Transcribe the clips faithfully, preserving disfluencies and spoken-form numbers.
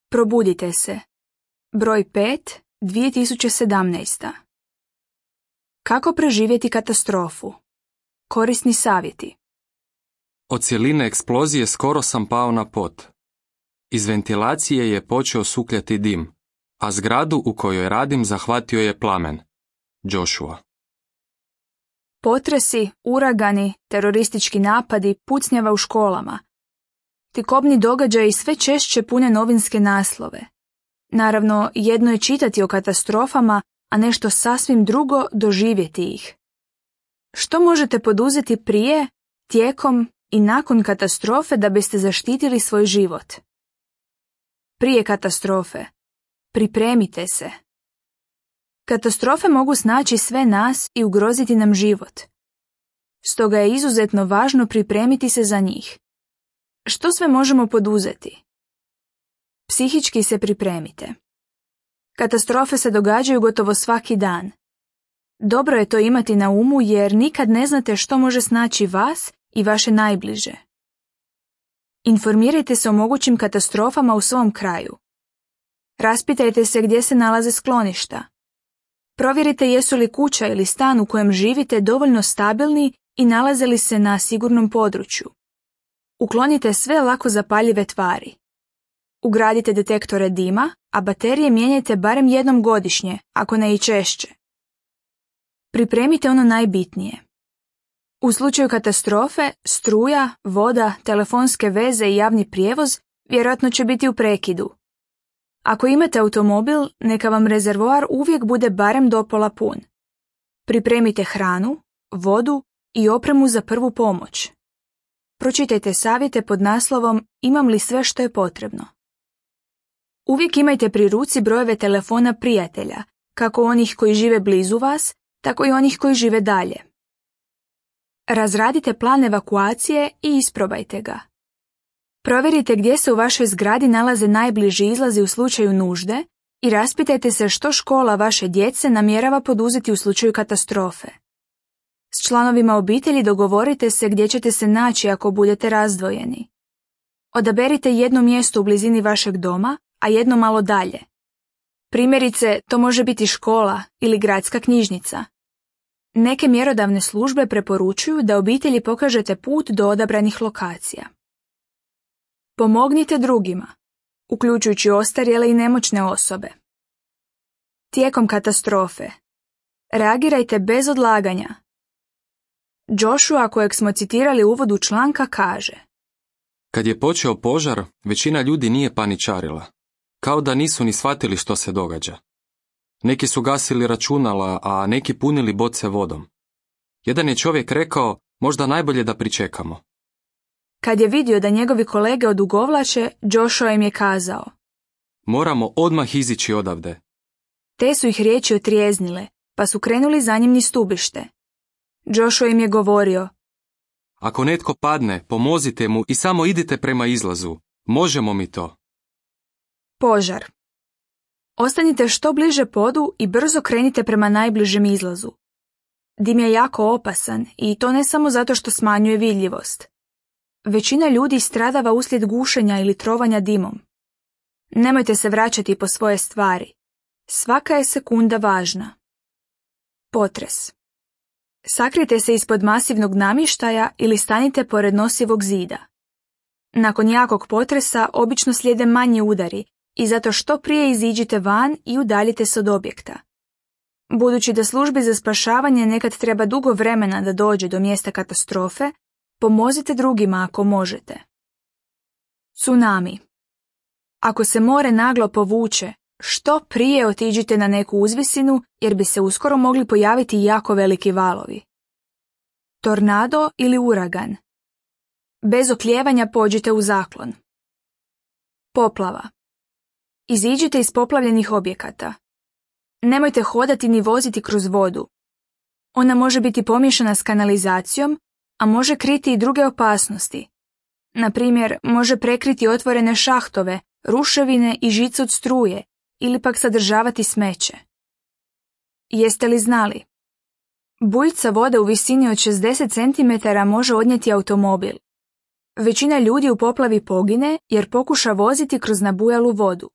Probudite se. Broj pet, dvije tisuće sedamnaesta. Kako preživjeti katastrofu? Korisni savjeti. Od cjeline eksplozije skoro sam pao na pod. Iz ventilacije je počeo sukljati dim, a zgradu u kojoj radim zahvatio je plamen. Joshua. Potresi, uragani, teroristički napadi, pucnjava u školama. Ti kobni događaji sve češće pune novinske naslove. Naravno, jedno je čitati o katastrofama, a nešto sasvim drugo doživjeti ih. Što možete poduzeti prije, tijekom i nakon katastrofe da biste zaštitili svoj život? Prije katastrofe. Pripremite se. Katastrofe mogu snaći sve nas i ugroziti nam život. Stoga je izuzetno važno pripremiti se za njih. Što sve možemo poduzeti? Psihički se pripremite. Katastrofe se događaju gotovo svaki dan. Dobro je to imati na umu jer nikad ne znate što može snaći vas i vaše najbliže. Informirajte se o mogućim katastrofama u svom kraju. Raspitajte se gdje se nalaze skloništa. Provjerite jesu li kuća ili stan u kojem živite dovoljno stabilni i nalaze li se na sigurnom području. Uklonite sve lako zapaljive tvari. Ugradite detektore dima, a baterije mijenjajte barem jednom godišnje, ako ne i češće. Pripremite ono najbitnije. U slučaju katastrofe, struja, voda, telefonske veze i javni prijevoz vjerojatno će biti u prekidu. Ako imate automobil, neka vam rezervoar uvijek bude barem do pola pun. Pripremite hranu, vodu i opremu za prvu pomoć. Pročitajte savjete pod naslovom Imam li sve što je potrebno. Uvijek imajte pri ruci brojeve telefona prijatelja, kako onih koji žive blizu vas, tako i onih koji žive dalje. Razradite plan evakuacije i isprobajte ga. Provjerite gdje se u vašoj zgradi nalaze najbliži izlazi u slučaju nužde i raspitajte se što škola vaše djece namjerava poduzeti u slučaju katastrofe. S članovima obitelji dogovorite se gdje ćete se naći ako budete razdvojeni. Odaberite jedno mjesto u blizini vašeg doma, a jedno malo dalje. Primjerice, to može biti škola ili gradska knjižnica. Neke mjerodavne službe preporučuju da obitelji pokažete put do odabranih lokacija. Pomognite drugima, uključujući ostarjele i nemoćne osobe. Tijekom katastrofe. Reagirajte bez odlaganja. Joshua, kojeg smo citirali u uvodu članka, kaže: Kad je počeo požar, većina ljudi nije paničarila. Kao da nisu ni shvatili što se događa. Neki su gasili računala, a neki punili boce vodom. Jedan je čovjek rekao, možda najbolje da pričekamo. Kad je vidio da njegovi kolege odugovlače, Joshua im je kazao: Moramo odmah izići odavde. Te su ih riječi otrijeznile, pa su krenuli za njim niz stubište. Joshua im je govorio: Ako netko padne, pomozite mu i samo idite prema izlazu. Možemo mi to. Požar. Ostanite što bliže podu i brzo krenite prema najbližem izlazu. Dim je jako opasan i to ne samo zato što smanjuje vidljivost. Većina ljudi stradava uslijed gušenja ili trovanja dimom. Nemojte se vraćati po svoje stvari. Svaka je sekunda važna. Potres. Sakrijte se ispod masivnog namještaja ili stanite pored nosivog zida. Nakon jakog potresa obično slijede manji udari i zato što prije iziđite van i udaljite se od objekta. Budući da službi za spašavanje nekad treba dugo vremena da dođe do mjesta katastrofe, pomozite drugima ako možete. Tsunami. Ako se more naglo povuče, što prije otiđite na neku uzvisinu jer bi se uskoro mogli pojaviti jako veliki valovi. Tornado ili uragan. Bez oklijevanja pođite u zaklon. Poplava. Iziđite iz poplavljenih objekata. Nemojte hodati ni voziti kroz vodu. Ona može biti pomiješana s kanalizacijom, a može kriti i druge opasnosti. Na primjer, može prekriti otvorene šahtove, ruševine i žice od struje, ili pak sadržavati smeće. Jeste li znali? Bujica vode u visini od šezdeset centimetara može odnijeti automobil. Većina ljudi u poplavi pogine jer pokuša voziti kroz nabujalu vodu.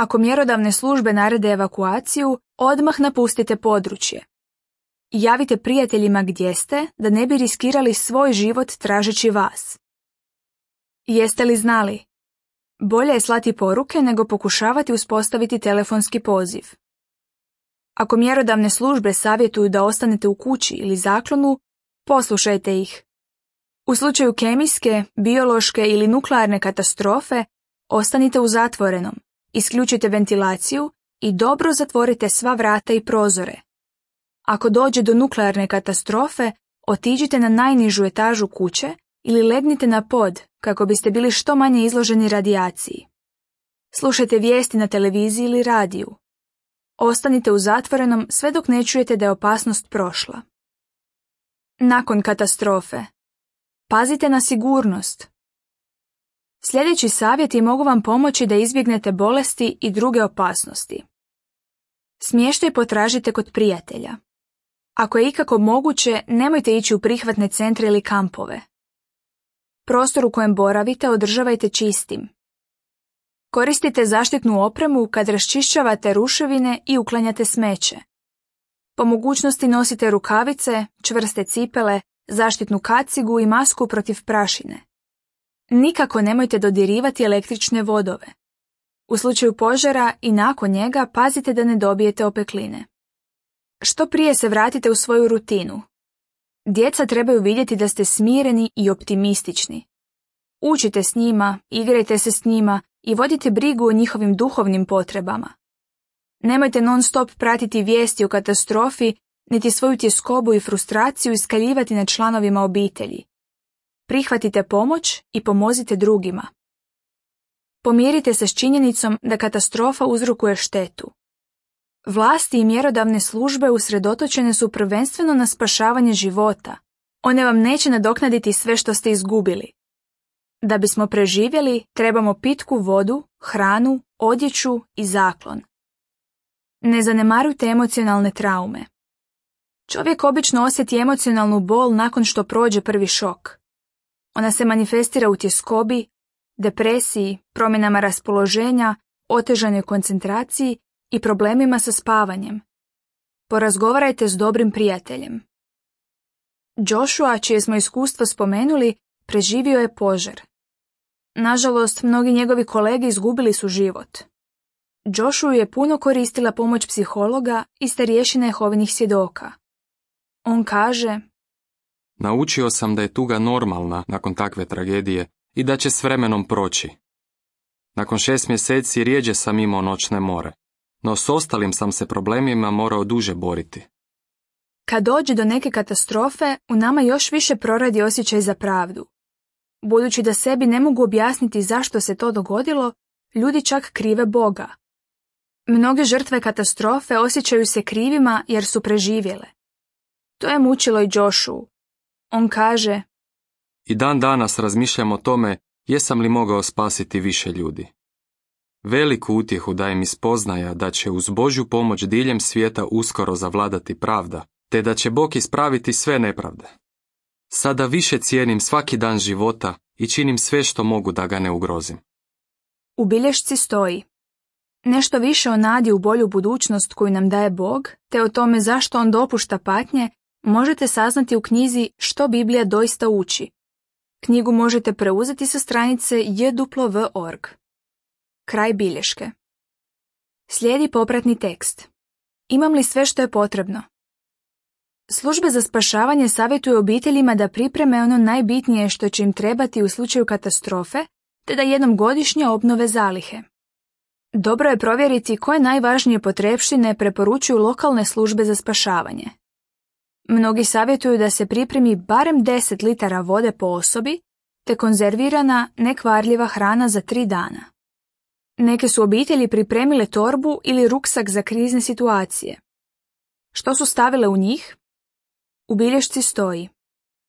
Ako mjerodavne službe narede evakuaciju, odmah napustite područje. Javite prijateljima gdje ste, da ne bi riskirali svoj život tražeći vas. Jeste li znali? Bolje je slati poruke nego pokušavati uspostaviti telefonski poziv. Ako mjerodavne službe savjetuju da ostanete u kući ili zaklonu, poslušajte ih. U slučaju kemijske, biološke ili nuklearne katastrofe, ostanite u zatvorenom, isključite ventilaciju i dobro zatvorite sva vrata i prozore. Ako dođe do nuklearne katastrofe, otiđite na najnižu etažu kuće ili legnite na pod kako biste bili što manje izloženi radijaciji. Slušajte vijesti na televiziji ili radiju. Ostanite u zatvorenom sve dok ne čujete da je opasnost prošla. Nakon katastrofe. Pazite na sigurnost. Sljedeći savjeti mogu vam pomoći da izbjegnete bolesti i druge opasnosti. Smještaj potražite kod prijatelja. Ako je ikako moguće, nemojte ići u prihvatne centre ili kampove. Prostor u kojem boravite održavajte čistim. Koristite zaštitnu opremu kad raščišćavate ruševine i uklanjate smeće. Po mogućnosti nosite rukavice, čvrste cipele, zaštitnu kacigu i masku protiv prašine. Nikako nemojte dodirivati električne vodove. U slučaju požara i nakon njega pazite da ne dobijete opekline. Što prije se vratite u svoju rutinu. Djeca trebaju vidjeti da ste smireni i optimistični. Učite s njima, igrajte se s njima i vodite brigu o njihovim duhovnim potrebama. Nemojte non stop pratiti vijesti o katastrofi, niti svoju tjeskobu i frustraciju iskaljivati na članovima obitelji. Prihvatite pomoć i pomozite drugima. Pomirite se s činjenicom da katastrofa uzrokuje štetu. Vlasti i mjerodavne službe usredotočene su prvenstveno na spašavanje života. One vam neće nadoknaditi sve što ste izgubili. Da bismo preživjeli, trebamo pitku vodu, hranu, odjeću i zaklon. Ne zanemarujte emocionalne traume. Čovjek obično osjeti emocionalnu bol nakon što prođe prvi šok. Ona se manifestira u tjeskobi, depresiji, promjenama raspoloženja, otežanoj koncentraciji i problemima sa spavanjem. Porazgovarajte s dobrim prijateljem. Joshua, čije smo iskustvo spomenuli, preživio je požar. Nažalost, mnogi njegovi kolege izgubili su život. Joshua je puno koristila pomoć psihologa i starješina Jehovinih svjedoka. On kaže: Naučio sam da je tuga normalna nakon takve tragedije i da će s vremenom proći. Nakon šest mjeseci rijeđe sam imao noćne more, no s ostalim sam se problemima morao duže boriti. Kad dođe do neke katastrofe, u nama još više proradi osjećaj za pravdu. Budući da sebi ne mogu objasniti zašto se to dogodilo, ljudi čak krive Boga. Mnoge žrtve katastrofe osjećaju se krivima jer su preživjele. To je mučilo i Joshua. On kaže: I dan danas razmišljam o tome jesam li mogao spasiti više ljudi. Veliku utjehu daje mi spoznaja da će uz Božju pomoć diljem svijeta uskoro zavladati pravda, te da će Bog ispraviti sve nepravde. Sada više cijenim svaki dan života i činim sve što mogu da ga ne ugrozim. U bilješci stoji: nešto više o nadi u bolju budućnost koju nam daje Bog, te o tome zašto on dopušta patnje, možete saznati u knjizi Što Biblija doista uči. Knjigu možete preuzeti sa stranice j w w dot org. Kraj bilješke. Slijedi popratni tekst. Imam li sve što je potrebno? Službe za spašavanje savjetuju obiteljima da pripreme ono najbitnije što će im trebati u slučaju katastrofe, te da jednom godišnje obnove zalihe. Dobro je provjeriti koje najvažnije potrepštine preporučuju lokalne službe za spašavanje. Mnogi savjetuju da se pripremi barem deset litara vode po osobi, te konzervirana, nekvarljiva hrana za tri dana. Neke su obitelji pripremile torbu ili ruksak za krizne situacije. Što su stavile u njih? U bilješci stoji: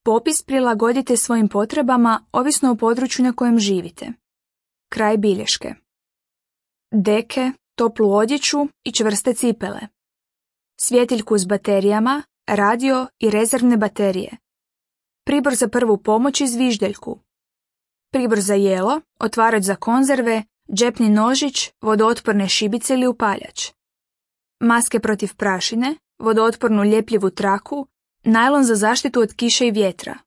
popis prilagodite svojim potrebama ovisno o području na kojem živite. Kraj bilješke. Deke, toplu odjeću i čvrste cipele. Svjetiljku s baterijama, radio i rezervne baterije. Pribor za prvu pomoć i zviždeljku. Pribor za jelo, otvarač za konzerve, džepni nožić, vodootporne šibice ili upaljač, maske protiv prašine, vodootpornu ljepljivu traku, najlon za zaštitu od kiše i vjetra,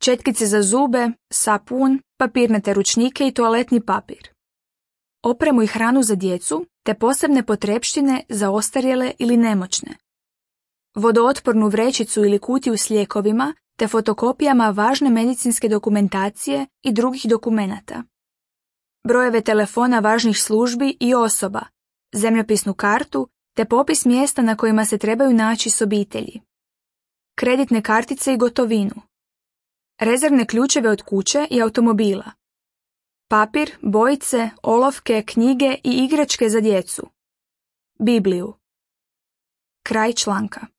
četkice za zube, sapun, papirnate ručnike i toaletni papir, opremu i hranu za djecu te posebne potrepštine za ostarjele ili nemoćne, vodootpornu vrećicu ili kutiju s lijekovima te fotokopijama važne medicinske dokumentacije i drugih dokumenata, brojeve telefona važnih službi i osoba, zemljopisnu kartu te popis mjesta na kojima se trebaju naći s obitelji, kreditne kartice i gotovinu, rezervne ključeve od kuće i automobila, papir, bojice, olovke, knjige i igračke za djecu, Bibliju. Kraj članka.